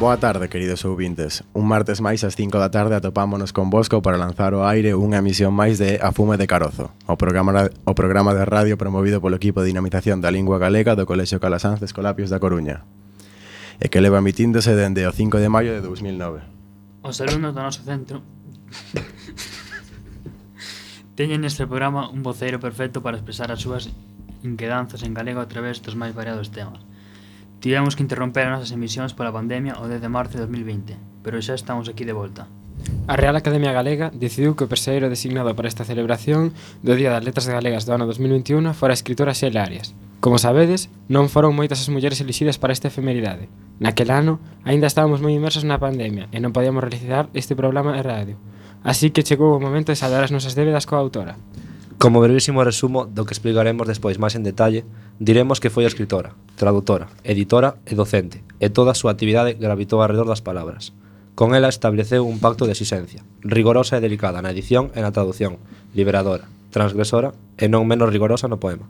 Boa tarde, queridos ouvintes. Un martes máis ás 5 da tarde atopámonos con Bosco para lanzar ao aire unha emisión máis de A Fume de Carozo, o programa de radio promovido polo equipo de dinamización da lingua galega do Colexio Calasanz de Escolapios da Coruña, e que leva emitíndose dende o 5 de maio de 2009. Os alumnos do noso centro teñen neste programa un voceiro perfecto para expresar as súas inquedanzas en galego a través dos máis variados temas. Tivemos que interromper as nosas emisións pola pandemia o 10 de marzo de 2020, pero xa estamos aquí de volta. A Real Academia Galega decidiu que o persoeiro designado para esta celebración do Día das Letras Galegas do ano 2021 fora a escritora Xela Arias. Como sabedes, non foron moitas as mulleres elixidas para esta efemeridade. Naquel ano, aínda estábamos moi inmersos na pandemia e non podíamos realizar este programa de radio. Así que chegou o momento de saldar as nosas débedas coa autora. Como brevísimo resumo do que explicaremos despois máis en detalle, diremos que foi escritora, traductora, editora e docente, e toda a súa actividade gravitou alrededor das palabras. Con ela estableceu un pacto de exixencia, rigorosa e delicada na edición e na traducción, liberadora, transgresora e non menos rigorosa no poema.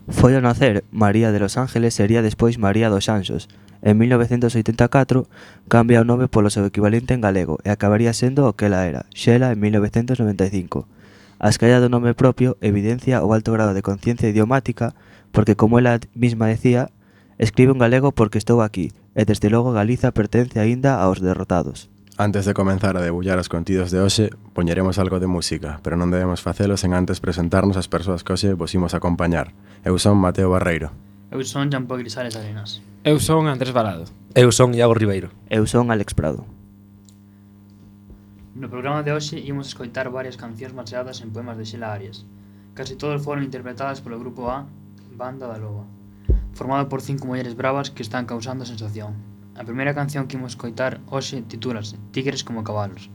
Foi ao nacer María de los Ángeles sería despois María dos Anxos. En 1984 cambia o nome polo seu equivalente en galego e acabaría sendo o que ela era, Xela, en 1995. A escalla do nome propio evidencia o alto grado de conciencia idiomática porque, como ela mesma decía, escribe en galego porque estou aquí e desde logo Galiza pertence aínda aos derrotados. Antes de comenzar a debullar os contidos de hoxe, poñeremos algo de música, pero non debemos facelo sen antes presentarnos as persoas que hoxe vos imos acompañar. Eu son Mateo Barreiro. Eu son Jean-Paul Grisales Arenas. Eu son Andrés Balado. Eu son Iago Ribeiro. Eu son Alex Prado. No programa de hoxe imos escoitar varias cancións baseadas en poemas de Xela Arias. Casi todas foron interpretadas polo grupo A, Banda da Loba, formado por 5 mulleres bravas que están causando sensación. A primeira canción que imos escoitar hoxe titúlase Tigres como cabalos.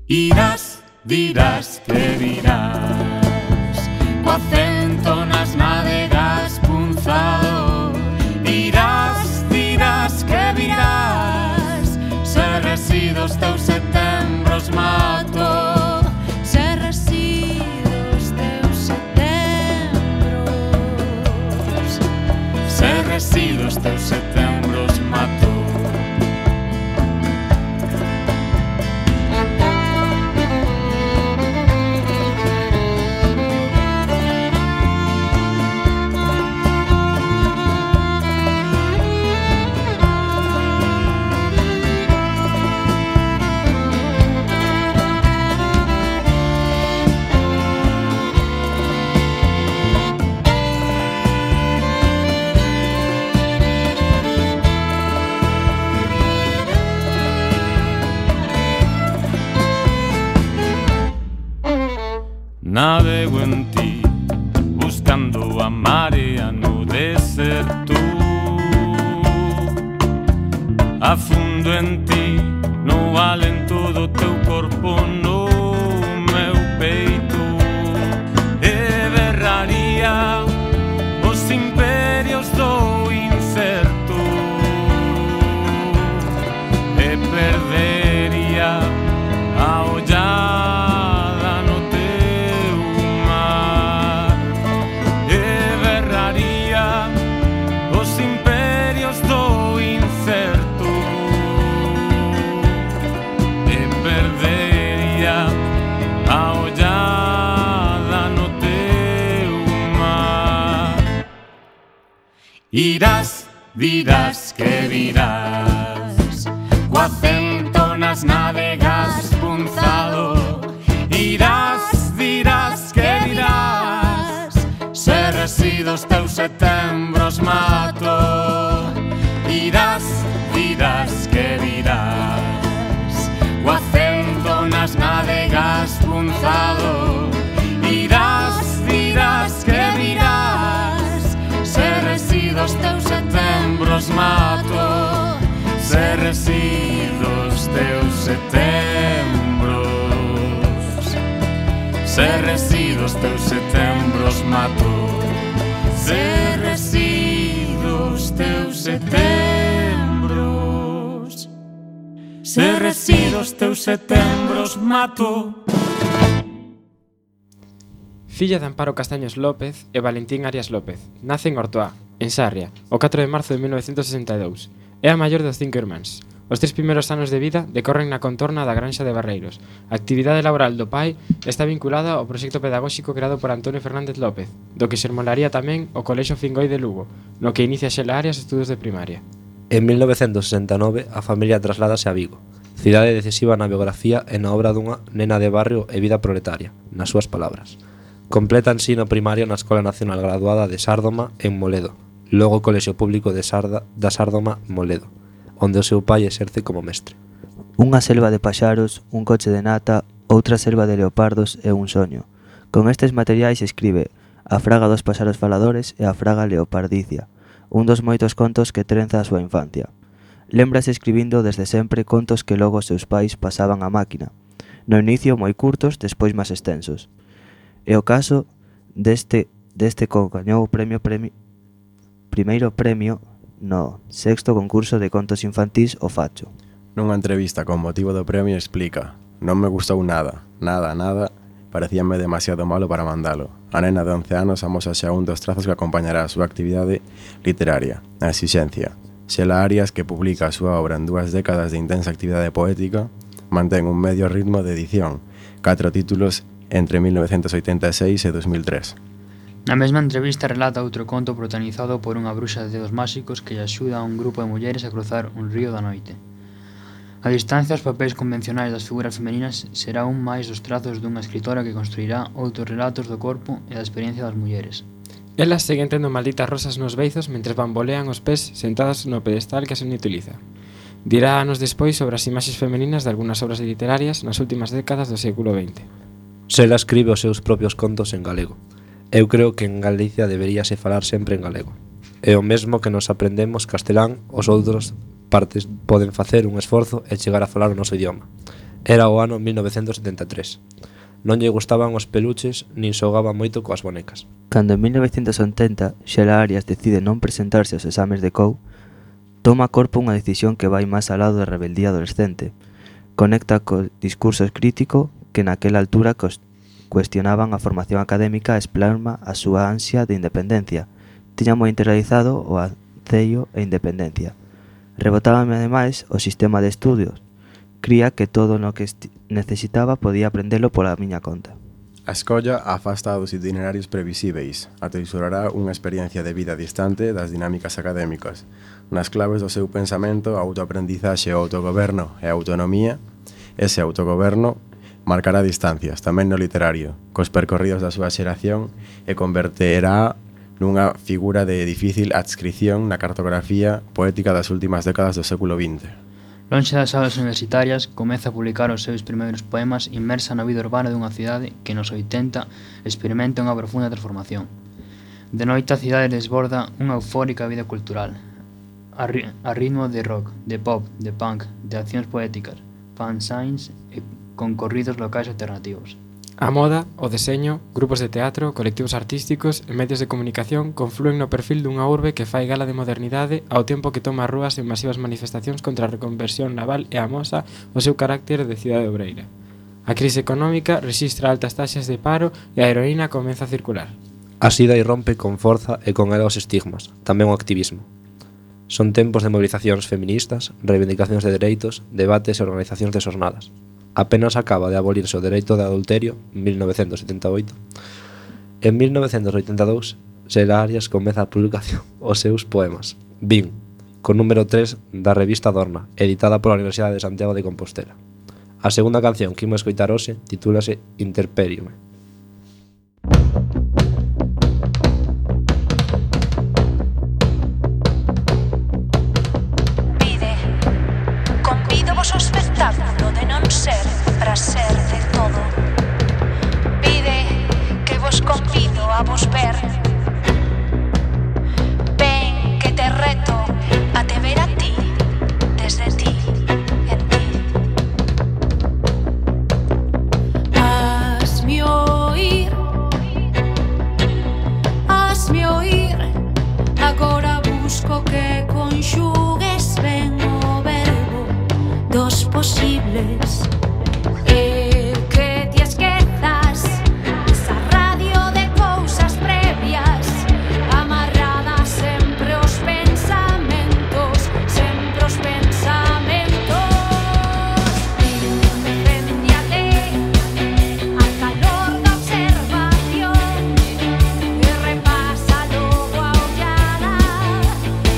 Irás, dirás que virás, co acento nas nádegas punzado. Irás, dirás que virás, se resido os teus setembros mato. Se resido os teus setembros, se resido os teus setembros mato. Navego en ti, buscando a marea no deserto. Afundo en ti, no alento do teu corpo no meu peito. E berraría os imperios do incerto, e perdería a ollada no teu mar. E berraría os imperios do incerto, e perdería a ollada no teu mar. Irás, dirás que virás, co acento nas nádegas punzado. Irás, dirás que virás, se resido os teus setembros mato. Irás, dirás que virás, co acento nas nádegas punzado. Irás, dirás que virás, se resido os teus setembros mato. Se resido os teus setembros Se resido os teus setembros mato, se resido os teus setembros, se resido os teus setembros mato. Filla de Amparo Castaños López e Valentín Arias López. Nace en Ortoá, en Sarria, o 4 de marzo de 1962. É a maior dos 5 irmáns. Os 3 primeiros anos de vida decorren na contorna da Granxa de Barreiros. A actividade laboral do pai está vinculada ao proxecto pedagóxico creado por Antonio Fernández López, do que xermolaría tamén o Colexio Fingoi de Lugo, no que inicia Xela Arias estudos de primaria. En 1969 a familia trasládase a Vigo, cidade decisiva na biografía e na obra dunha nena de barrio e vida proletaria, nas súas palabras. Completa ensino primario na Escola Nacional Graduada de Sárdoma en Moledo, logo o Colexio Público da Sárdoma Moledo, onde o seu pai exerce como mestre. Unha selva de paxaros, un coche de nata, outra selva de leopardos e un soño. Con estes materiais escribe A fraga dos paxaros faladores e A fraga leopardicia, un dos moitos contos que trenza a súa infancia. Lembrase escribindo desde sempre contos que logo os seus pais pasaban a máquina, no inicio moi curtos, despois máis extensos. E o caso deste que gañou o primeiro premio no 6º concurso de contos infantís O Facho. Nunha entrevista con motivo do premio explica: non me gustou nada, parecíame demasiado malo para mandalo. A nena de 11 anos amosa xa un dos trazos que acompañará a súa actividade literaria, a exixencia. Xela Arias, que publica a súa obra en 2 décadas de intensa actividade poética, mantén un medio ritmo de edición, 4 títulos entre 1986 e 2003. Na mesma entrevista relata outro conto protagonizado por unha bruxa de dedos máxicos que lle axuda a un grupo de mulleres a cruzar un río da noite. A distancia, os papéis convencionais das figuras femininas será un máis dos trazos dunha escritora que construirá outros relatos do corpo e da experiencia das mulleres. Elas seguen tendo malditas rosas nos beizos mentres bambolean os pés sentadas no pedestal que se utiliza. Dirá anos despois sobre as imaxes femininas de algunhas obras literarias nas últimas décadas do século XX. Xela escribe os seus propios contos en galego. Eu creo que en Galicia deberíase falar sempre en galego. É o mesmo que nos aprendemos castelán, os outros partes poden facer un esforzo e chegar a falar o noso idioma. Era o ano 1973. Non lle gustaban os peluches nin xogaba moito coas bonecas. Cando en 1980 Xela Arias decide non presentarse aos exames de COU, toma a corpo unha decisión que vai máis ao lado da rebeldía adolescente. Conecta co discurso crítico que naquela altura cuestionaban a formación académica e explasma a súa ansia de independencia. Tiña moi interiorizado o ancello e independencia. Rebotábame ademais o sistema de estudios. Cría que todo o que necesitaba podía aprendelo pola miña conta. A escolla afasta dos itinerarios previsíveis, ateisorará unha experiencia de vida distante das dinámicas académicas. Nas claves do seu pensamento, a autoaprendizaxe, o autogoberno e a autonomía, ese autogoberno marcará distancias, tamén no literario, cos percorridos da súa xeración e converterá nunha figura de difícil adscripción na cartografía poética das últimas décadas do século XX. Lonxe das aulas universitarias, comeza a publicar os seus primeiros poemas inmersa na vida urbana dunha cidade que nos 80 experimenta unha profunda transformación. De noite a cidade desborda unha eufórica vida cultural, a ritmo de rock, de pop, de punk, de accións poéticas, fanzines e concorridos locais alternativos. A moda, o deseño, grupos de teatro, colectivos artísticos e medios de comunicación conflúen no perfil dunha urbe que fai gala de modernidade ao tempo que toma as rúas en masivas manifestacións contra a reconversión naval e amosa o seu carácter de cidade obreira. A crise económica rexistra altas taxas de paro e a heroína comeza a circular. A sida irrompe con forza e con ela os estigmas, tamén o activismo. Son tempos de movilizacións feministas, reivindicacións de dereitos, debates e organizacións de xornadas. Apenas acaba de abolirse o dereito de adulterio, 1978. En 1982, Xela Arias comeza a publicación os seus poemas, Vin, con número 3 da revista Dorna, editada pola Universidade de Santiago de Compostela. A segunda canción que imos escoitar hoxe titúlase Interperium. O espectáculo de non ser para ser de todo. Pide que vos convido a vos ver. Ven que te reto a te ver a ti, desde ti, en ti. Hazme ves. Que te esquezas esa radio de cousas previas, amarradas sempre os pensamentos, sempre os pensamentos. Deféndate al calor da observación e repasa logo a ollada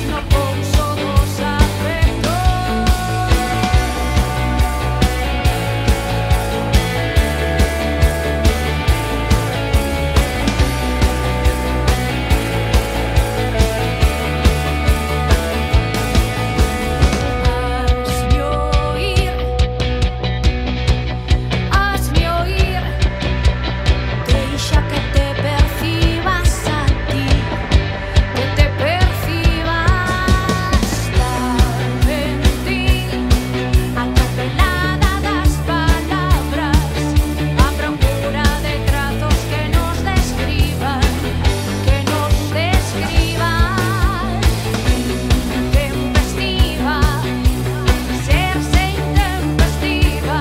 no pouso dos afectos. Hazme oír, deixa que te percibas a ti, que te percibas en ti, atropelada das palabras, a procura de trazos que nos describan, intempestiva, serse intempestiva,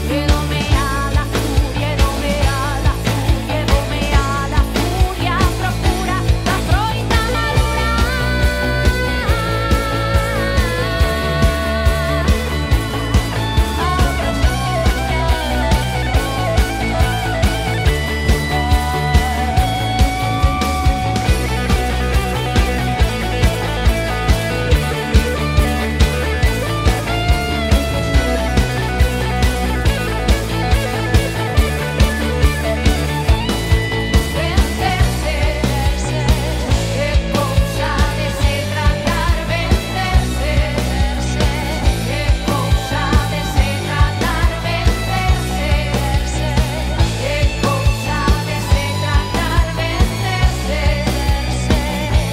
domea la furia, domea la furia, domea la furia, procura da froita madura. Vencerse, que cousa de se tratar, vencerse, que cousa de se tratar, vencerse,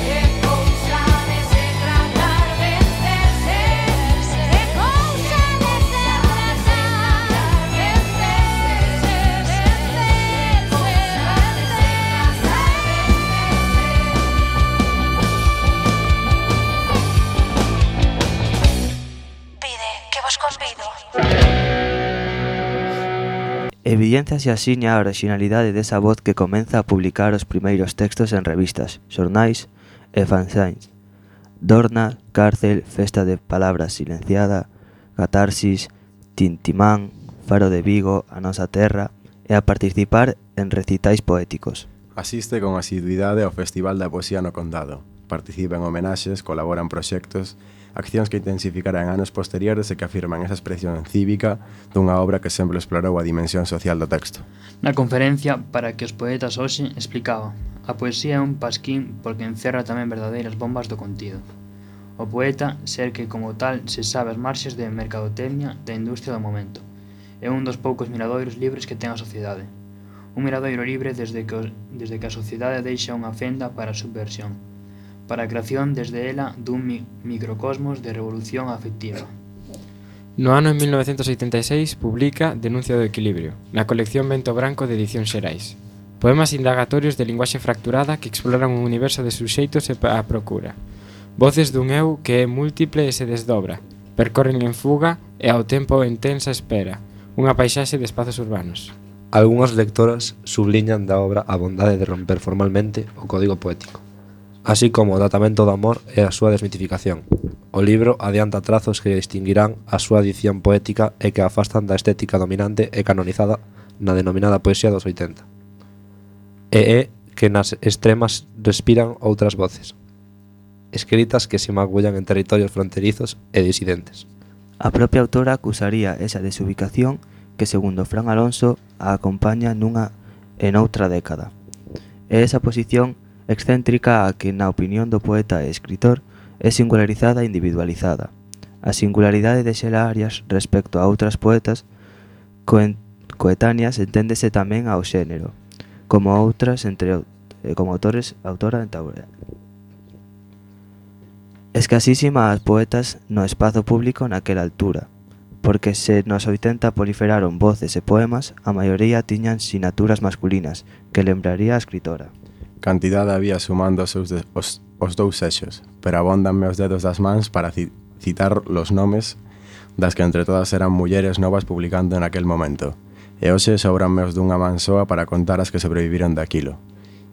que cousa de se tratar, vencerse, que cousa de se tratar, vencerse, que cousa de se Pide que vos convido. Evidenciase asiña a originalidade desa voz que comeza a publicar os primeiros textos en revistas, xornais e fanzines. Dorna, Cárcel, Festa de Palabras Silenciada, Catarsis, Tintimán, Faro de Vigo, A Nosa Terra e a participar en recitais poéticos. Asiste con asiduidade ao Festival da Poesía no Condado. Participa en homenaxes, colabora en proxectos, accións que intensificarán anos posteriores e que afirman esa expresión cívica dunha obra que sempre explorou a dimensión social do texto. Na conferencia para que os poetas hoxe explicaba: a poesía é un pasquín porque encerra tamén verdadeiras bombas do contido. O poeta, ser que como tal se sabe as marxes de mercadotecnia da industria do momento, é un dos poucos miradoiros libres que ten a sociedade. Un miradoiro libre desde que a sociedade deixa unha fenda para a subversión, para a creación desde ela dun microcosmos de revolución afectiva. No ano 1986 publica Denuncia do Equilibrio, na colección Vento Branco de Edición Xerais. Poemas indagatorios de linguaxe fracturada que exploran un universo de suxeitos e a procura. Voces dun eu que é múltiple e se desdobra, percorren en fuga e ao tempo en tensa espera, unha paisaxe de espazos urbanos. Algunhas lectoras subliñan da obra a bondade de romper formalmente o código poético, así como o tratamento do amor e a súa desmitificación. O libro adianta trazos que distinguirán a súa edición poética e que afastan da estética dominante e canonizada na denominada poesía dos 80. E é que nas extremas respiran outras voces, escritas que se magullan en territorios fronterizos e disidentes. A propia autora acusaría esa desubicación que, segundo Fran Alonso, a acompaña nunha e noutra década. E esa posición excéntrica a que, na opinión do poeta e escritor, é singularizada e individualizada. A singularidade de Xela Arias respecto a outras poetas coetáneas enténdese tamén ao xénero, como outras como autora en Taurea. Escasísima as poetas no espazo público naquela altura, porque se nos 80 proliferaron voces e poemas, a maioría tiñan sinaturas masculinas, que lembraría a escritora. Cantidade había sumando os dous sexos, pero abóndanme os dedos das mans para citar los nomes das que entre todas eran mulleres novas publicando en aquel momento. E hoxe sobranme os dunha man soa para contar as que sobreviviron daquilo.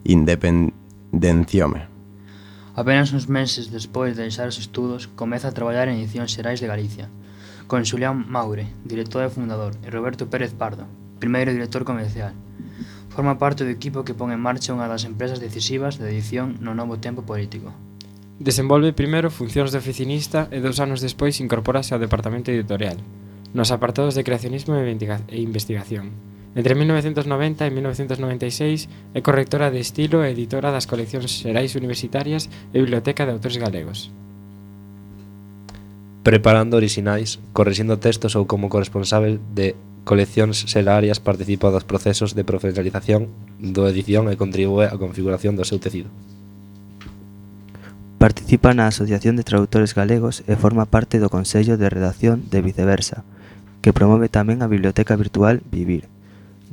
Independenciome. Apenas uns meses despois de deixar os estudos, comeza a traballar en Edicións Xerais de Galicia, con Xulián Maure, director e fundador, e Roberto Pérez Pardo, primeiro director comercial. Forma parte do equipo que pon en marcha unha das empresas decisivas de edición no novo tempo político. Desenvolve primeiro funcións de oficinista e 2 anos despois incorpórase ao departamento editorial, nos apartados de creacionismo e investigación. Entre 1990 e 1996 é correctora de estilo e editora das coleccións xerais universitarias e Biblioteca de Autores Galegos. Preparando orixinais, corrixindo textos ou como corresponsável de coleccións xelarias participa dos procesos de profesionalización do edición e contribúe á configuración do seu tecido. Participa na Asociación de Traductores Galegos e forma parte do Consello de Redacción de Viceversa, que promove tamén a biblioteca virtual Vivir,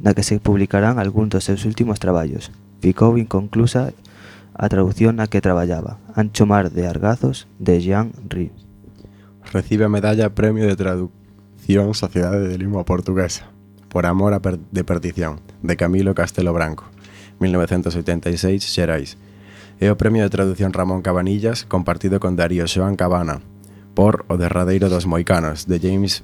na que se publicarán algúns dos seus últimos traballos. Ficou inconclusa a traducción na que traballaba, Ancho Mar de Argazos, de Jean Ri. Recibe a medalla Premio de Traducción Sociedade de Lingua Portuguesa por amor de perdición, de Camilo Castelo Branco, 1986, Xerais. E o Premio de Traducción Ramón Cabanillas, compartido con Darío Xoán Cabana, por O derradeiro dos Moicanos, de James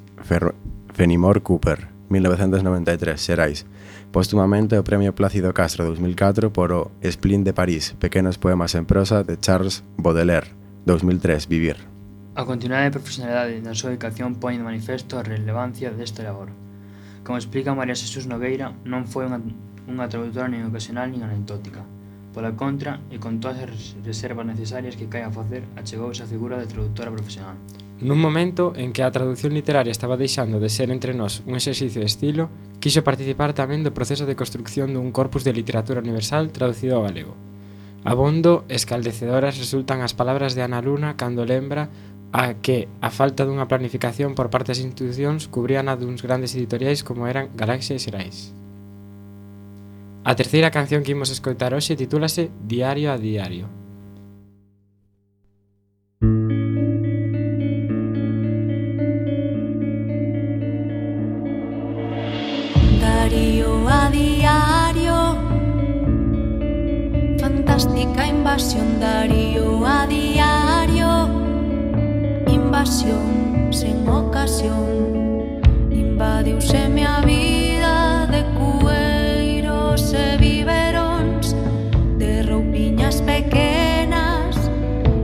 Fenimore Cooper, 1993, Xerais. Póstumamente o Premio Plácido Castro 2004 por o Splin de París, Pequenos poemas en prosa, de Charles Baudelaire, 2003, Vivir. A continuidade e profesionalidade na súa dedicación pone de manifesto a relevancia desta labor. Como explica María Xesús Nogueira, non foi unha traductora nin ocasional nin anecdótica. Pola contra, e con todas as reservas necesarias que cae a facer, achegouse a figura de traductora profesional. Nun momento en que a traducción literaria estaba deixando de ser entre nós un exercicio de estilo, quixo participar tamén do proceso de construcción dun corpus de literatura universal traducido ao galego. Abondo escaldecedoras resultan as palabras de Ana Luna cando lembra a que a falta dunha planificación por parte das institucións cubrían a duns grandes editoriais como eran Galaxia e Xerais. A terceira canción que imos escoitar hoxe titúlase Diario a Diario. Diario a diario, fantástica invasión. Diario a diario, invasión sen ocasión. Invadiuse a vida de cueiros e biberóns, de roupiñas pequenas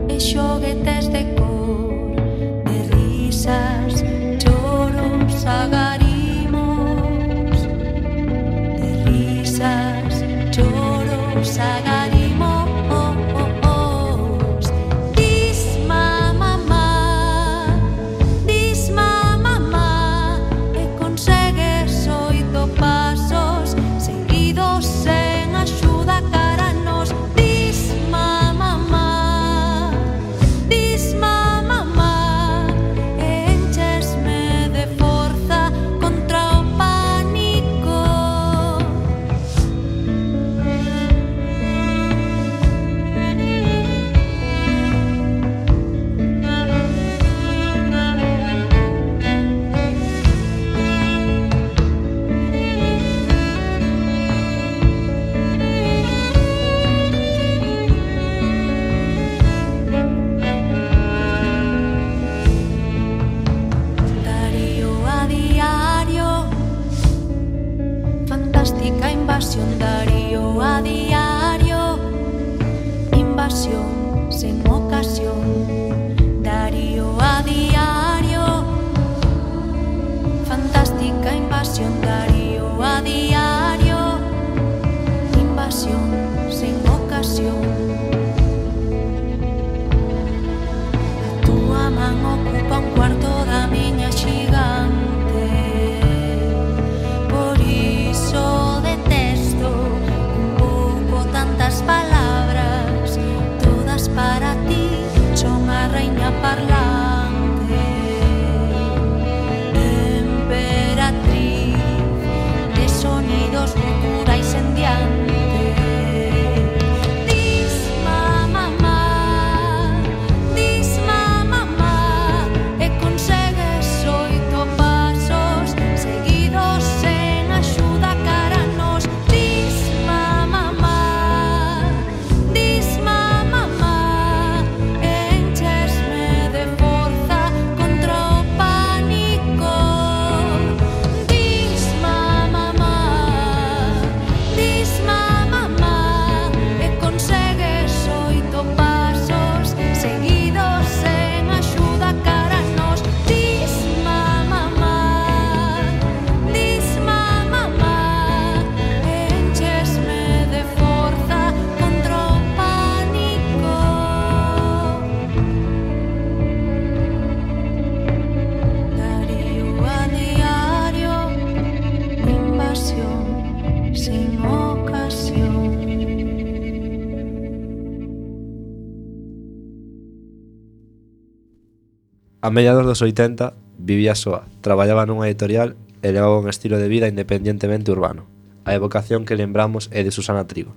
e xoguetes de cor, de risas, choros, agarimos, de risas, choros, agarimos. Darío a diario, invasión sen ocasión. Darío a diario, fantástica invasión. Darío a diario, invasión sen ocasión. A túa man ocupa un cuarto da miña xigante. Por iso detesto un pouco tantas palabras, todas para ti. A mediados dos 80 vivía soa, traballaba nunha editorial e levaba un estilo de vida independientemente urbano. A evocación que lembramos é de Susana Trigo.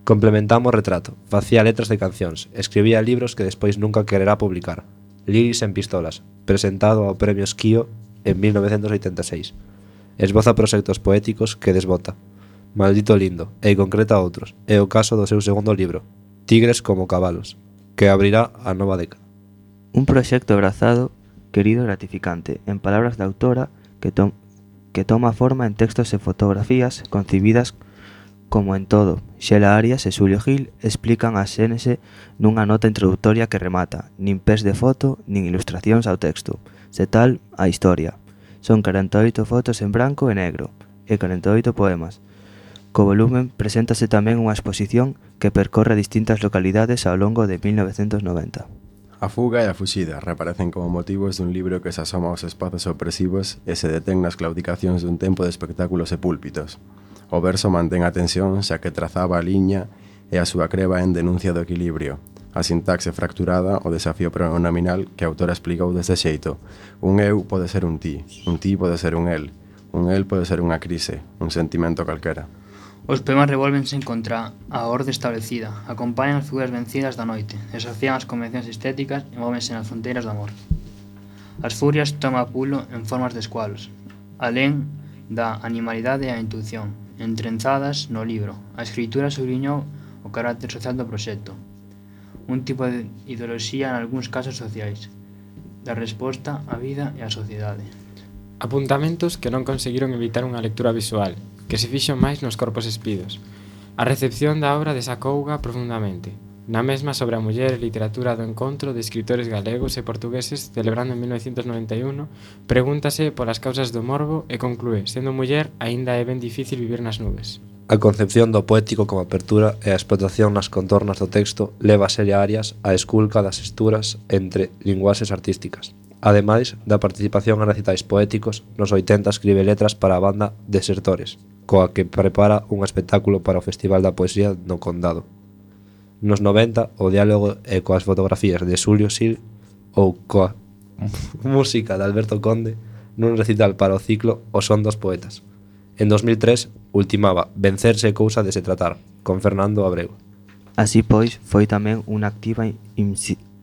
Complementamos o retrato, facía letras de cancións, escribía libros que despois nunca quererá publicar. Liris en pistolas, presentado ao Premio Esquío en 1986. Esboza proxectos poéticos que desbota. Maldito lindo, e concreta outros. É o caso do seu segundo libro, Tigres como cabalos, que abrirá a nova década. Un proxecto abrazado, querido e gratificante, en palabras da autora, que toma forma en textos e fotografías concibidas como en todo. Xela Arias e Xulio Gil explican a xénese nunha nota introductoria que remata, nin pés de foto, nin ilustracións ao texto, se tal, a historia. Son 48 fotos en branco e negro, e 48 poemas. Co volumen preséntase tamén unha exposición que percorre distintas localidades ao longo de 1990. A fuga e a fuxida reaparecen como motivos dun libro que se asoma aos espazos opresivos e se detén nas claudicacións dun tempo de espectáculos e púlpitos. O verso mantén a tensión xa que trazaba a liña e a súa creba en denuncia do equilibrio. A sintaxe fracturada, o desafío pronominal que a autora explicou deste xeito. Un eu pode ser un ti pode ser un el pode ser unha crise, un sentimento calquera. Os poemas revólvense contra a orde establecida, acompañan as figuras vencidas da noite, desafían as convencións estéticas e móvense nas fronteiras do amor. As furias toma pulo en formas de escualos, alén da animalidade e a intuición, entrenzadas no libro. A escritura subliñou o carácter social do proxecto, un tipo de ideoloxía en algúns casos sociais, da resposta á vida e á sociedade. Apuntamentos que non conseguiron evitar unha lectura visual, que se fixo máis nos corpos espidos. A recepción da obra desacouga profundamente. Na mesma sobre a muller e literatura do encontro de escritores galegos e portugueses celebrando en 1991, pregúntase polas causas do morbo e conclúe, sendo muller, aínda é ben difícil vivir nas nubes. A concepción do poético como apertura e a explotación nas contornas do texto leva a Xela Arias a esculca das esturas entre linguaxes artísticas. Ademais da participación en recitais poéticos, nos 80 escribe letras para a banda Desertores, coa que prepara un espectáculo para o Festival da Poesía no Condado. Nos 90, o diálogo é coas fotografías de Xulio Gil ou coa música de Alberto Conde nun recital para o ciclo O son dos poetas. En 2003, ultimaba Vencerse é cousa de se tratar, con Fernando Abreu. Así pois, foi tamén unha activa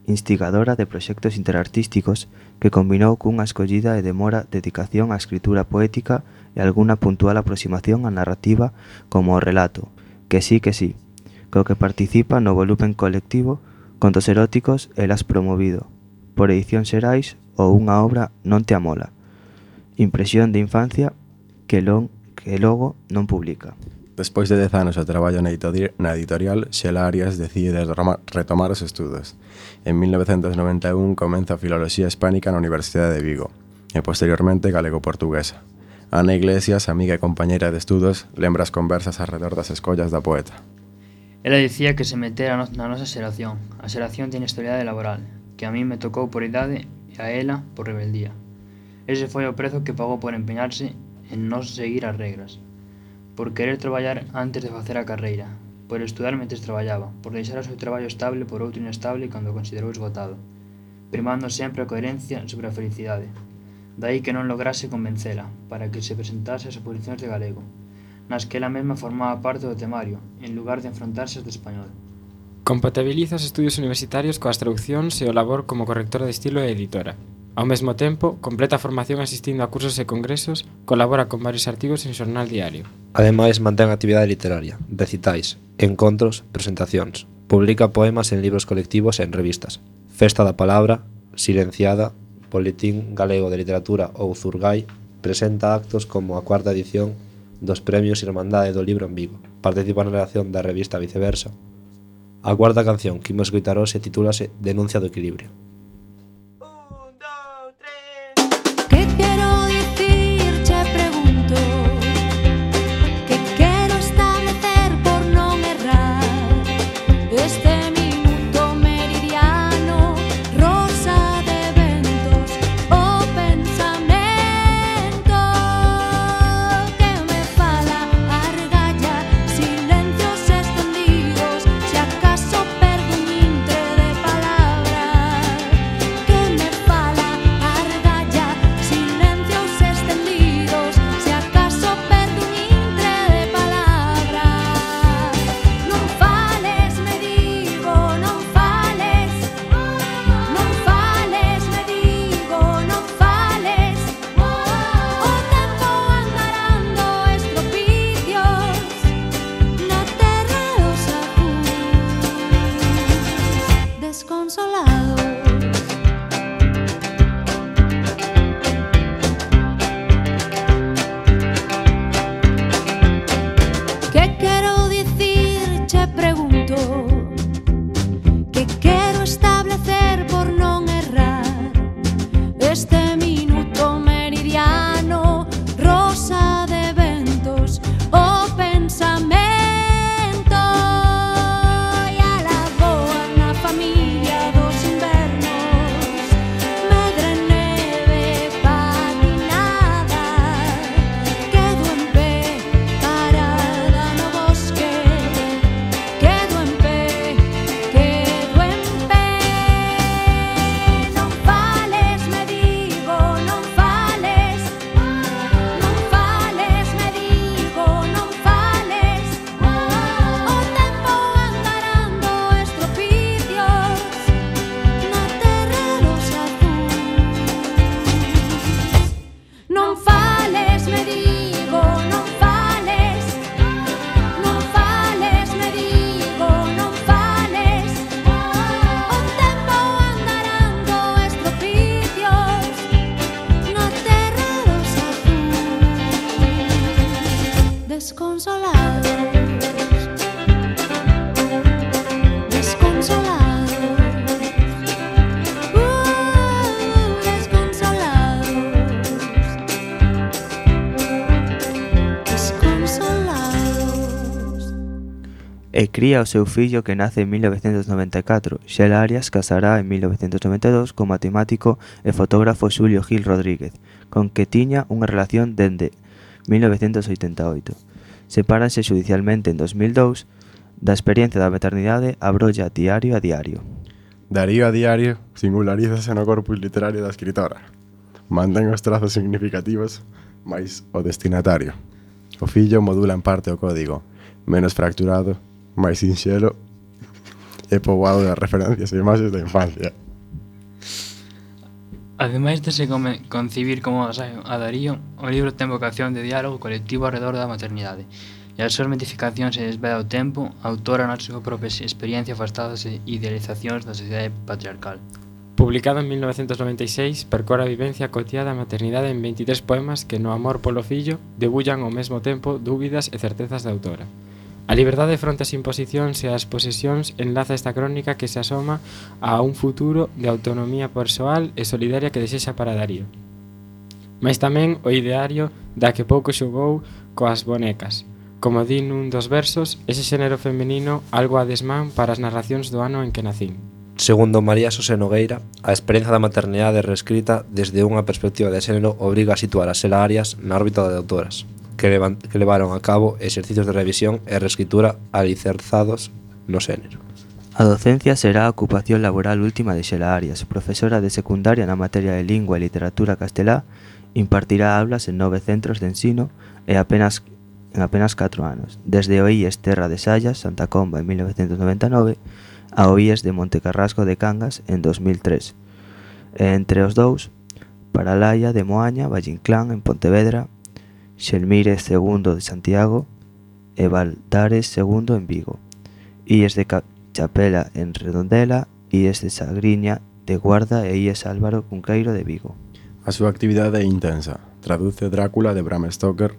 instigadora de proxectos interartísticos que combinou cunha escollida e demora dedicación á escritura poética e algunha puntual aproximación á narrativa como o relato, que sí, co que participa no volumen colectivo Contos eróticos Elas promovido, por Edicións Xerais ou unha obra Non te amola, impresión de infancia que logo non publica. Despois de 10 anos de traballo na editorial, Xela Arias decide retomar os estudos. En 1991 comeza Filoloxía Hispánica na Universidade de Vigo e posteriormente Galego-Portuguesa. Ana Iglesias, amiga e compañeira de estudos, lembra as conversas arredor das escollas da poeta. Ela dicía que se metera na nosa xeración, a xeración de inestabilidade laboral, que a mí me tocou por idade e a ela por rebeldía. Ese foi o prezo que pagou por empeñarse en non seguir as regras, por querer traballar antes de facer a carreira, por estudar mentres traballaba, por deixar o seu traballo estable por outro inestable cando o considerou esgotado, primando sempre a coherencia sobre a felicidade. Daí que non lograse convencela para que se presentase as oposicións de galego, nas que ela mesma formaba parte do temario, en lugar de enfrontarse as de español. Compatibiliza os estudios universitarios coas traduccións e o labor como correctora de estilo e editora. Ao mesmo tempo, completa a formación asistindo a cursos e congresos, colabora con varios artigos en Xornal Diario. Ademais, mantén actividade literaria, recitais, encontros, presentacións. Publica poemas en libros colectivos e en revistas. Festa da Palabra, Silenciada, Boletín Galego de Literatura ou Zurgai, presenta actos como a cuarta edición dos Premios Irmandade do Libro en Vigo. Participa na redacción da revista Viceversa. A cuarta canción que imos escoitar hoxe titúlase Denuncia do Equilibrio. ¿Qué quiero decir? Te pregunto. ¿Qué quiero establecer por non errar? Este minuto meridiano, rosa de ventos, o pensamento que me fala argalla, silencios extendidos, si acaso perdo un intre de palabras. quero dicir, che pregunto, que quero establecer por non errar este minuto meridiano, rosa de ventos, o pensamento. E a lagoa na familia dos invernos, medre neve patinada, quedo en pé, parada no bosque, quedo en pé, quedo en pé. Non fales, me digo, non fales, non fales, me digo, non fales. O tempo andarando estropicios na terra dos azuis. Non fales, me digo, non fales, non fales, me digo, non fales. O tempo andarando estropicios na terra dos azuis. Desconsolados, desconsolados, desconsolados, desconsolados. E cría o seu fillo que nace en 1994. Xela Arias casará en 1992 co matemático e fotógrafo Xulio Gil Rodríguez, con que tiña unha relación dende 1988. Sepáranse xudicialmente en 2002. Da experiencia da maternidade abrolla diario a diario. Darío a diario singularízase no corpus literario da escritora. Mantén os trazos significativos, mais o destinatario. O fillo modula en parte o código, menos fracturado, máis sinxelo e poboado de referencias e imaxes da infancia. Ademais de se concibir como ensaio a Darío, o libro ten vocación de diálogo colectivo alrededor da maternidade, e as súas mitificacións e desvela o tempo, a autora na súa propia experiencia afastadas e idealizacións da sociedade patriarcal. Publicado en 1996, percorre a vivencia cotiá da maternidade en 23 poemas que no amor polo fillo debullan ao mesmo tempo dúbidas e certezas da autora. A liberdade fronte ás imposicións e ás posesións enlaza esta crónica que se asoma a un futuro de autonomía persoal e solidaria que desexa para Darío. Mais tamén o ideario da que pouco xogou coas bonecas. Como di nun dos versos, ese xénero femenino algo a desmán para as narracións do ano en que nacín. Segundo María Xosé Nogueira, a experiencia da maternidade reescrita desde unha perspectiva de xénero obriga a situar a Xela Arias na órbita de autoras que levaron a cabo exercicios de revisión e reescritura alicerzados no xénero. A docencia será a ocupación laboral última de Xela Arias, profesora de secundaria na materia de lingua e literatura castelá. Impartirá aulas en 9 centros de ensino en apenas 4 anos, desde o IES Terra de Sallas, Santa Comba en 1999, ao IES de Montecarrasco de Cangas en 2003. E entre os dous, Paralaia de Moaña, Vallinclán en Pontevedra, Xelmírez II de Santiago e Valdares II en Vigo, IES de Chapela en Redondela, IES de Sagriña de Guarda e IES Álvaro Cunqueiro de Vigo. A súa actividade é intensa. Traduce Drácula de Bram Stoker,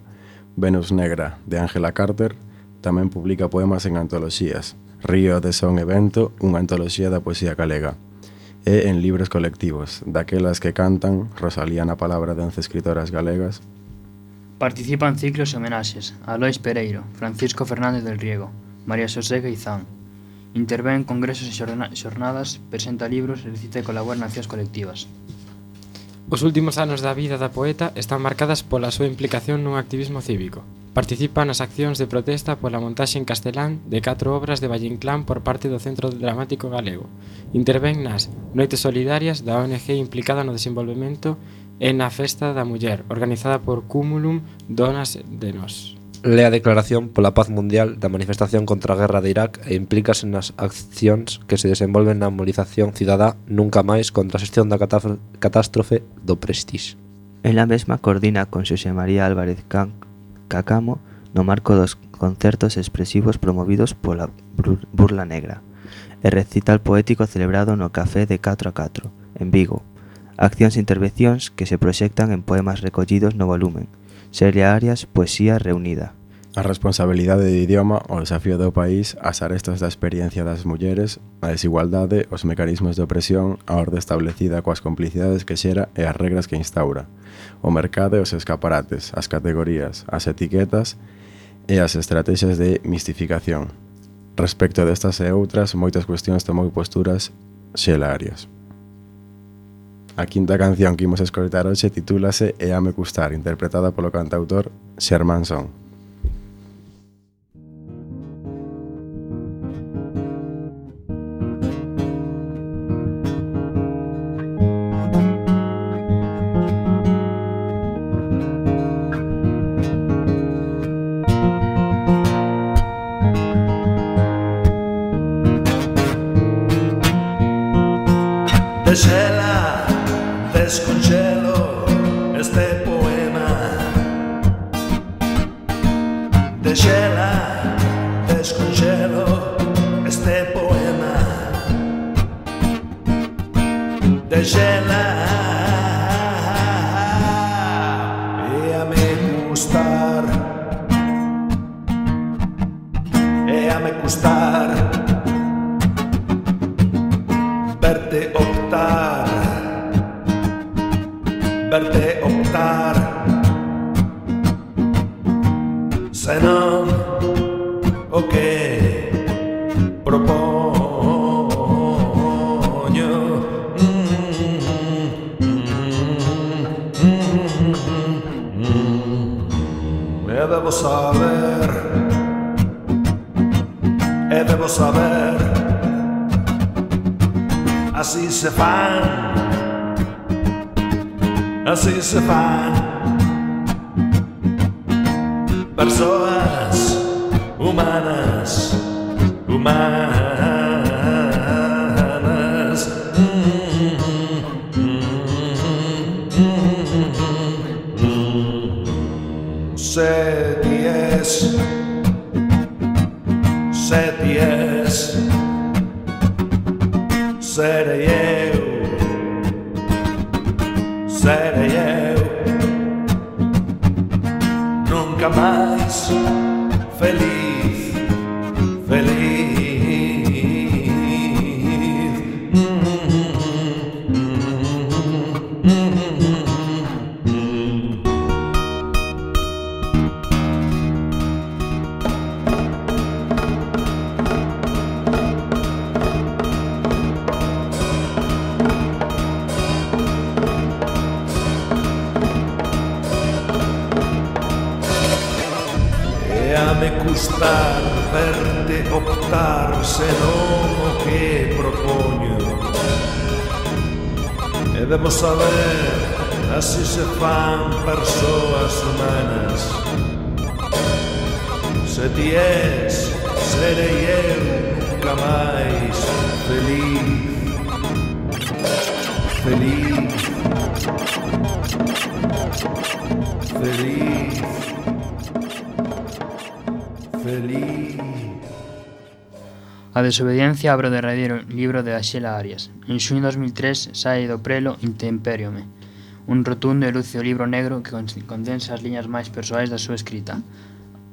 Venus Negra de Angela Carter, tamén publica poemas en antoloxías, Río de Son e Vento, unha antoloxía da poesía galega, e en libros colectivos, daquelas que cantan, Rosalía na palabra de 11 escritoras galegas. Participa en ciclos e homenaxes a Lois Pereiro, Francisco Fernández del Riego, María Xosé Gaizán. Intervén en congresos e xornadas, presenta libros e recita e colabora en accións colectivas. Os últimos anos da vida da poeta están marcadas pola súa implicación nun activismo cívico. Participa nas accións de protesta pola montaxe en castelán de 4 obras de Vallinclán por parte do Centro Dramático Galego. Intervén nas Noites Solidarias da ONG implicada no desenvolvemento e na Festa da Muller, organizada por Cúmulum Donas de Nós. Lea a declaración pola paz mundial da manifestación contra a guerra de Irak e implícase nas accións que se desenvolven na movilización cidadá Nunca Máis contra a xestión da catástrofe do Prestige. En la mesma coordina con Xosé María Álvarez Cacamo no marco dos concertos expresivos promovidos pola Burla Negra e recital poético celebrado no Café de 4 a 4, en Vigo. Accións e intervencións que se proxectan en poemas recollidos no volumen Xela Arias, Poesía Reunida, a responsabilidade do idioma, o desafío do país, as arestas da experiencia das mulleres, a desigualdade, os mecanismos de opresión, a orde establecida coas complicidades que xera e as regras que instaura, o mercado e os escaparates, as categorías, as etiquetas e as estrategias de mistificación. Respecto destas e outras, moitas cuestións tomou posturas Xela Arias. A quinta canción que imos escoitar hoxe titúlase Éame Custar, interpretada polo cantautor Xermán Son. De Xela desconxelo este poema. De Xela desconxelo este poema. De Xela éame custar, éame custar verte optar, verte optar, senón o que propoño. E debo saber, así se fan persoas humanas. Seties, serei eu, nunca mais feliz. Éame custar verte optar, senón o que propoño. E debo saber, así se fan persoas humanas. Se ti és, serei eu nunca máis feliz. A desobediencia abre o derradeiro libro de Xela Arias. En xuño de 2003 sae do prelo Intemperiome, un rotundo e lúcido libro negro que condensa as liñas máis persoais da súa escrita.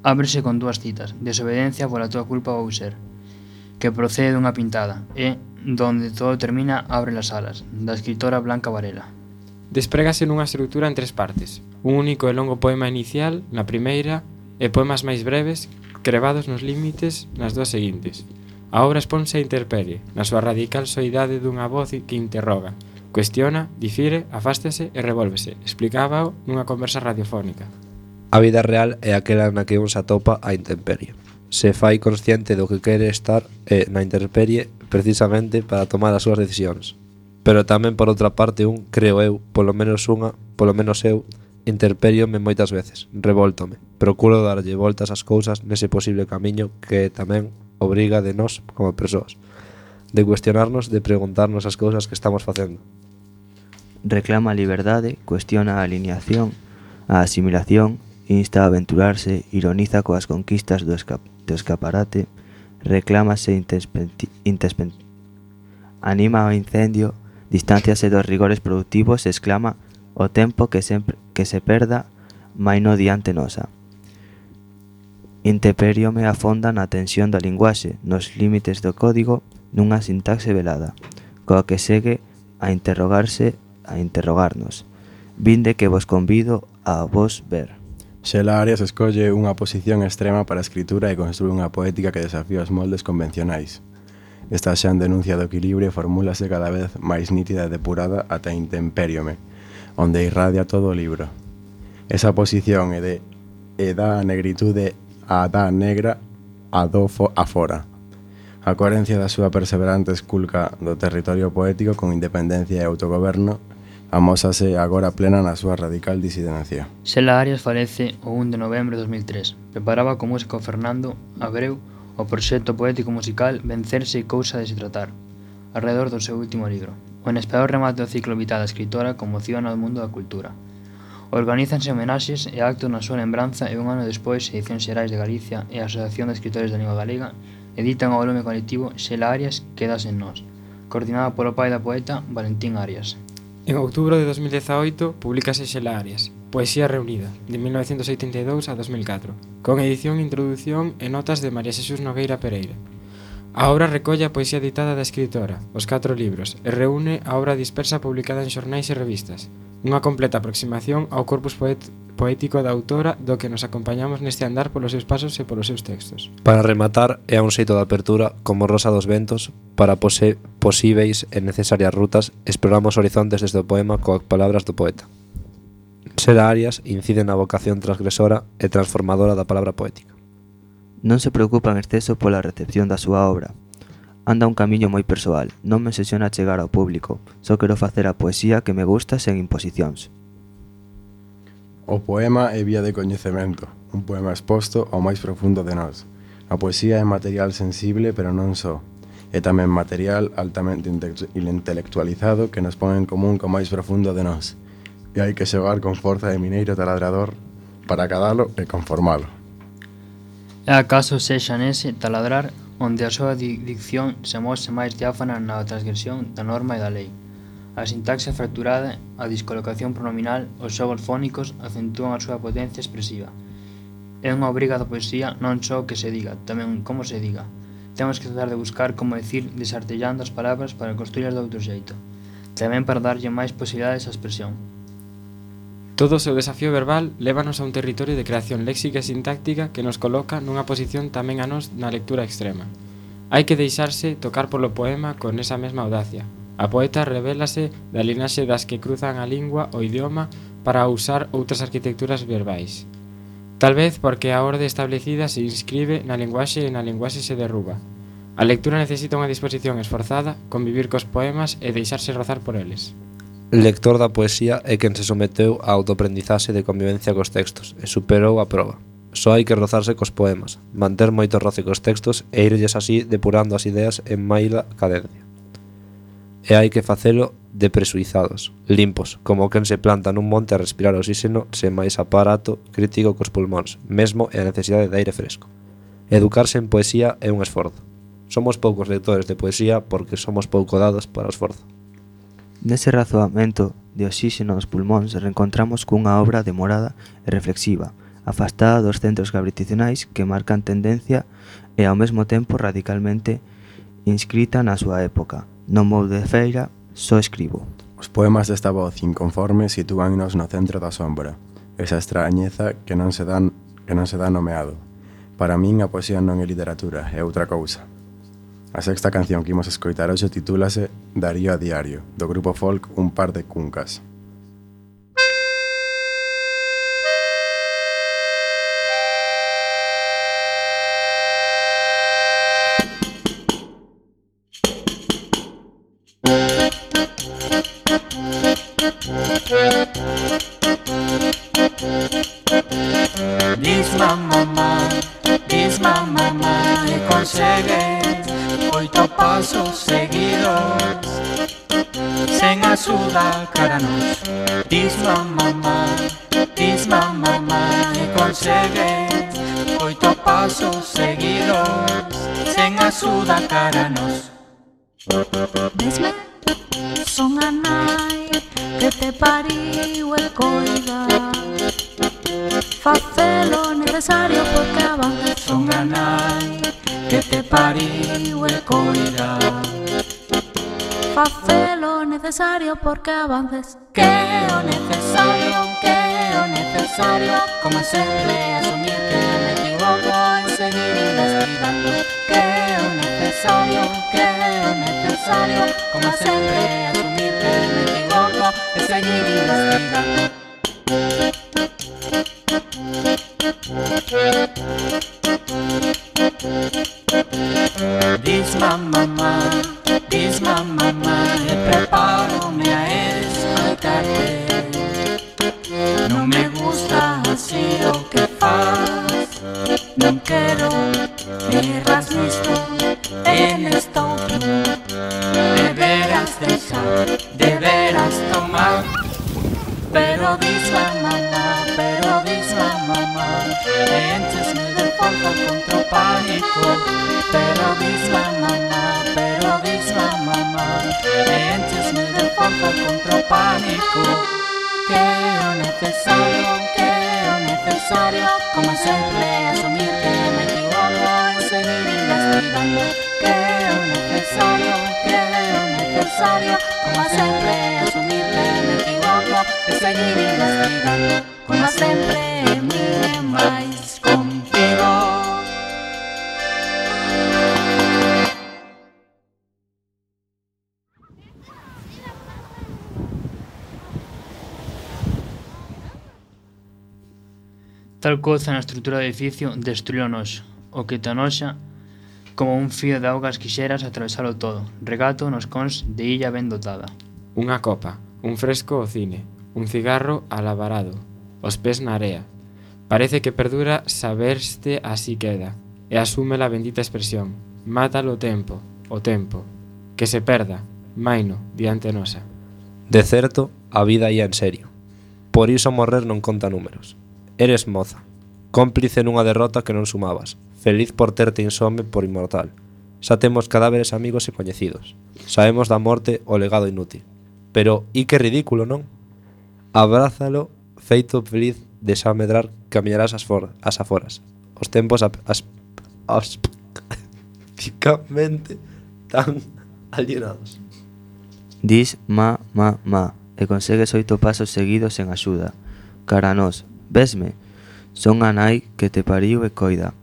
Ábrese con dúas citas: Desobediencia pola tua culpa vou ser, que procede dunha pintada, e Donde todo termina abre las alas, da escritora Blanca Varela. Desprégase nunha estrutura en tres partes: un único e longo poema inicial na primeira e poemas máis breves crevados nos límites nas dúas seguintes. A obra exponse a interperie, na súa radical soidade dunha voz que interroga, cuestiona, difire, afástase e revólvese, explicábao nunha conversa radiofónica. A vida real é aquela na que un se atopa a intemperie. Se fai consciente do que quere estar na intemperie precisamente para tomar as súas decisións. Pero tamén por outra parte creo eu, polo menos eu, interperiome moitas veces, revoltome, procuro darlle voltas ás cousas nese posible camiño que tamén obriga de nós como persoas, de cuestionarnos, de preguntarnos as cousas que estamos facendo. Reclama a liberdade, cuestiona a alineación, a asimilación, insta a aventurarse, ironiza coas conquistas do escaparate, reclámase anima ao incendio, distanciase dos rigores productivos e exclama o tempo que se perda mai no diante nosa. Intemperiome afonda na tensión da linguaxe, nos límites do código, nunha sintaxe velada, coa que segue a interrogarnos. Vinde que vos convido a vos ver. Xela Arias escolle unha posición extrema para a escritura e construe unha poética que desafía os moldes convencionais. Esta xa en denuncia do equilibrio formúlase cada vez máis nítida e depurada ata Intemperiome, onde irradia todo o libro. Esa posición é da negritude a da negra a do afora. A coherencia da súa perseverante esculca do territorio poético con independencia e autogoberno amósase agora plena na súa radical disidencia. Xela Arias falece o 1 de novembro de 2003. Preparaba co músico Fernando Abreu o proxecto poético musical Vencerse e cousa de se tratar, alrededor do seu último libro. O inesperado remate do ciclo vital da escritora conmociona o mundo da cultura. Organízanse homenaxes e actos na súa lembranza e un ano despois Edicións Xerais de Galicia e a Asociación de Escritores da Lingua Galega editan o volume colectivo Xela Arias Quedas en nós, coordinada polo pai da poeta Valentín Arias. En outubro de 2018 publicase Xela Arias, Poesía reunida, de 1982 a 2004, con edición, introdución e notas de María Xesús Nogueira Pereira. A obra recolle a poesía editada da escritora, os 4 libros, e reúne a obra dispersa publicada en xornais e revistas, unha completa aproximación ao corpus poético da autora do que nos acompañamos neste andar polos seus pasos e polos seus textos. Para rematar, é un xeito de apertura, como Rosa dos Ventos, para posíveis e necesarias rutas, exploramos horizontes desde o poema coas palabras do poeta. Xela Arias incide na vocación transgresora e transformadora da palabra poética. Non se preocupa en exceso pola recepción da súa obra. Anda un camiño moi persoal, non me obsesiona chegar ao público, só quero facer a poesía que me gusta sen imposicións. O poema é vía de coñecemento, un poema exposto ao máis profundo de nós. A poesía é material sensible, pero non só. É tamén material altamente intelectualizado que nos pon en común co máis profundo de nós. E hai que xogar con forza de mineiro taladrador para cadalo e conformalo. É acaso sexa nese taladrar onde a súa dicción se mose máis diáfana na transgresión da norma e da lei. A sintaxe fracturada, a discolocación pronominal, os xogos fónicos acentúan a súa potencia expresiva. É unha obriga da poesía non só que se diga, tamén como se diga. Temos que tratar de buscar como decir desartellando as palabras para construirlas de outro xeito, tamén para darlle máis posibilidades á expresión. Todo o seu desafío verbal lévanos a un territorio de creación léxica e sintáctica que nos coloca nunha posición tamén a nós na lectura extrema. Hai que deixarse tocar polo poema con esa mesma audacia. A poeta revélase da linaxe das que cruzan a lingua, o idioma, para usar outras arquitecturas verbais. Tal vez porque a orde establecida se inscribe na linguaxe e na linguaxe se derruba. A lectura necesita unha disposición esforzada, convivir cos poemas e deixarse rozar por eles. Lector da poesía é quen se someteu á autoaprendizaxe de convivencia cos textos e superou a proba. Só hai que rozarse cos poemas, manter moito roce cos textos e irlles así depurando as ideas en maila cadencia. E hai que facelo depresuizados, limpos, como quen se planta nun monte a respirar oxígeno sen máis aparato crítico cos pulmóns, mesmo e a necesidade de aire fresco. Educarse en poesía é un esforzo. Somos poucos lectores de poesía porque somos pouco dados para o esforzo. Nese razoamento de oxígeno nos pulmóns reencontramos cunha obra demorada e reflexiva, afastada dos centros gravitacionais que marcan tendencia e ao mesmo tempo radicalmente inscrita na súa época. Non vou de feira, só escribo. Os poemas desta voz inconforme sitúannos no centro da sombra, esa extrañeza que non se dá nomeado. Para min a poesía non é literatura, é outra cousa. A sexta canción que imos escoitar hoxe titúlase Darío a diario, do grupo folk Un par de cuncas. Disma mamá e consegues 8 pasos seguidos sen axuda cara nos. Disma mamá e consegues 8 pasos seguidos sen axuda cara nos. Vesme, son a nai que te pariu e coida. Facelo necesario porque avanzas son a nai que te pariu e coida. Facelo necesario porque avances. Que o necesario, como sempre, asumir que me equivoco e seguir investigando. Que o necesario, como sempre, asumir que me equivoco e seguir investigando. Diz mamá, e preparo-me a escoitarte. Non me gusta así o que faz, non quero erras nisto e nesto outro. Deberás deixar, deberás tomar. Pero dis mamá, e enchesme de forza contra o pánico. Pero dis mamá, e enchesme de forza contra o pánico. Que o necesario, como sempre, asumir que me equivoco e seguir investigando. Que o necesario, como sempre, asumir que me equivoco e seguir investigando. Como sempre, mire máis contigo. Tal coza na estrutura do edificio destruíu o noxo, o que te anoxa como un fío de augas quixeras atravesalo todo, regato nos cons de illa ben dotada. Unha copa, un fresco ao cine, un cigarro alabarado, os pés na area. Parece que perdura saberste así queda, e asume a bendita expresión, mátalo o tempo, que se perda, maino, diante nosa. De certo, a vida ia en serio. Por iso morrer non conta números. Eres moza, cómplice nunha derrota que non sumabas, feliz por terte insome por inmortal. Xa temos cadáveres amigos e coñecidos. Sabemos da morte o legado inútil. Pero, e que ridículo, non? Abrázalo, feito feliz de xa medrar, camiñarás as aforas. Os tempos aspicamente tan alienados. Dis ma, e consegues 8 pasos seguidos sen axuda. Cara a nós, vesme? Son a nai que te pariu e coida.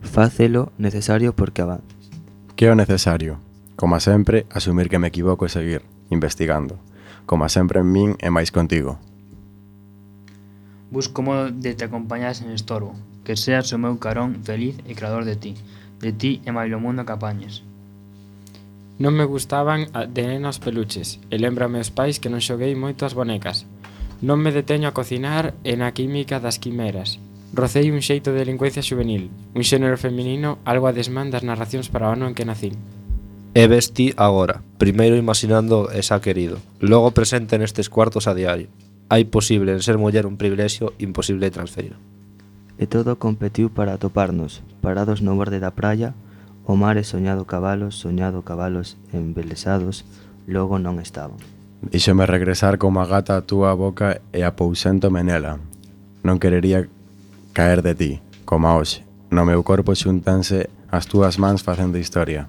Facelo necesario porque avances. Que é o necesario? Como sempre, asumir que me equivoco e seguir investigando. Como sempre en min e máis contigo. Busco modo de te acompañar sen estorbo, que seas o meu carón feliz e creador de ti e mailo mundo que apañes. Non me gustaban de nena os peluches, e lembrame os pais que non xoguei moito as bonecas. Non me deteño a cocinar e na química das quimeras. Rocei un xeito de delincuencia juvenil, un xénero feminino algo a desmán das narracións para o ano en que nacín. E vesti agora, primeiro imaginando esa querido, logo presente nestes cuartos a diario. Hai posible en ser muller un privilexio imposible de transferir. E todo competiu para atoparnos, parados no borde da praia, o mar e soñado cabalos embelesados, logo non estaban. Díxome regresar como a gata a túa boca e apouséntome nela. Non querería caer de ti, como a hoxe. No meu corpo xuntanse as túas mans facendo historia.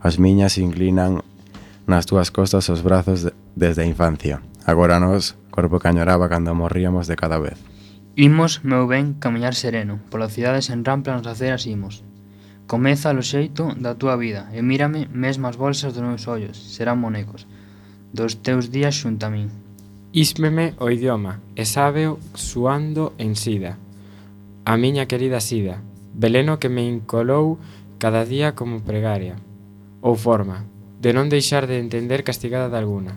As miñas inclinan nas túas costas os brazos desde a infancia. Agora nós, corpo que añoraba cando morríamos de cada vez. Imos, meu ben, camiñar sereno, pola cidade sen ramplas nas aceras imos. Comeza o xeito da túa vida e mírame, mesmo as bolsas dos meus ollos, serán monecos dos teus días xunto a min. Ísmeme o idioma, e sábeo suando en sida. A miña querida sida, veleno que me incolou cada día como pregaria. Ou forma, de non deixar de entender castigada de alguna.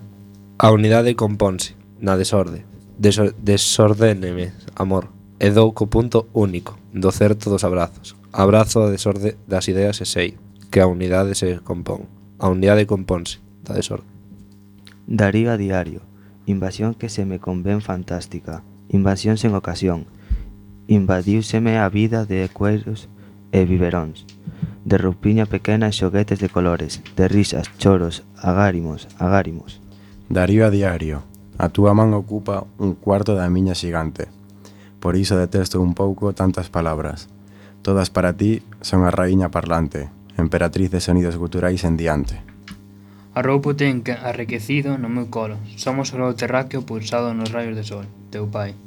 A unidade componse, na desorde. Desordéneme, amor, e dou co punto único, do certo dos abrazos. Abrazo a desorde das ideas e sei que a unidade se compón. A unidade componse, da desorde. Darío a diario, invasión que se me convén fantástica, invasión sen ocasión, invadiúseme a vida de cueros e biberóns, de roupiña pequena e xoguetes de colores, de risas, choros, agárimos. Darío a diario, a túa man ocupa un cuarto da miña xigante. Por iso detesto un pouco tantas palabras. Todas para ti son a raíña parlante, emperatriz de sonidos guturais en diante. A roupo ten que arrequecido no meu colo. Somos o globo terráqueo pulsado nos raios de sol. Teu pai.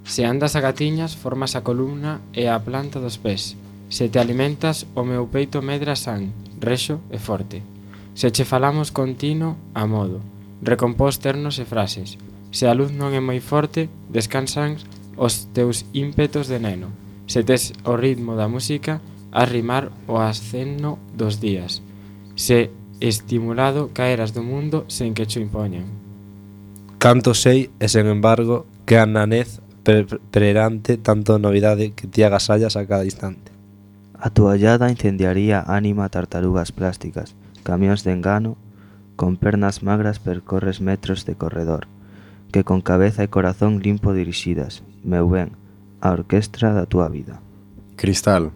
Se andas a gatiñas, formas a columna e a planta dos pés. Se te alimentas, o meu peito medra san, rexo e forte. Se che falamos continuo, a modo, recompós ternos e frases. Se a luz non é moi forte, descansan os teus ímpetos de neno. Se tes o ritmo da música, a rimar o aceno dos días. Se estimulado caeras do mundo sen que cho impoñan. Canto sei e, sen embargo, que a nanez perante tanto novidade que ti agasallas a cada instante. A toallada incendiaría ánima tartarugas plásticas, camións de engano, con pernas magras percorres metros de corredor, que con cabeza e corazón limpo dirixidas, meu ben, a orquestra da túa vida. Cristal,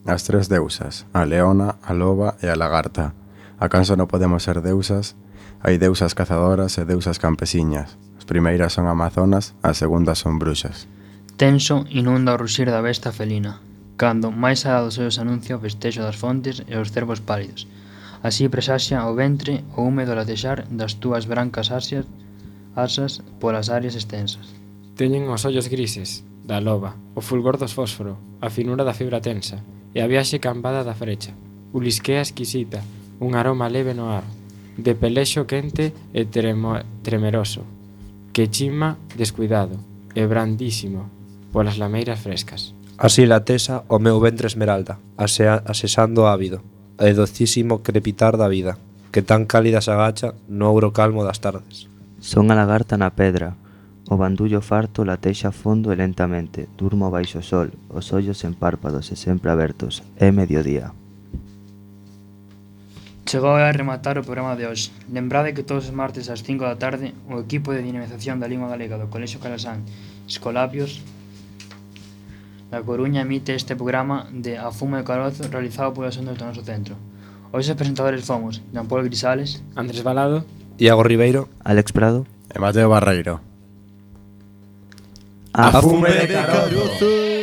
as tres deusas, a leona, a loba e a lagarta. Acaso non podemos ser deusas? Hai deusas cazadoras e deusas campesiñas. As primeiras son amazonas, as segundas son bruxas. Tenso inunda o ruxir da besta felina, cando máis alá dos ollos anuncia o festexo das fontes e os cervos pálidos. Así presaxia o ventre o húmedo latexar das túas brancas asas polas áreas extensas. Teñen os ollos grises, da loba, o fulgor dos fósforo, a finura da fibra tensa, e a viaxe cambada da frecha, ulisquea exquisita, un aroma leve no ar, de pelexo quente e tremeroso, que chima descuidado, e brandísimo, polas lameiras frescas. Así latesa o meu ventre esmeralda, asesando ávido, e docísimo crepitar da vida, que tan cálida se agacha no ouro calmo das tardes. Son a lagarta na pedra, o bandullo farto latexa fondo e lentamente, durmo baixo o sol, os ollos en párpados e sempre abertos, é mediodía. Chegou a rematar o programa de hoxe. Lembrade que todos os martes ás 5 da tarde o equipo de dinamización da lingua galega do Colexio Calasán Escolapios da Coruña emite este programa de A Fume de Carozo realizado polos ondas do noso centro. Hoxe os presentadores fomos Jean Paul Grisales, Andrés Balado, Iago Ribeiro, Alex Prado. E Mateo Barreiro. A fume de carozo.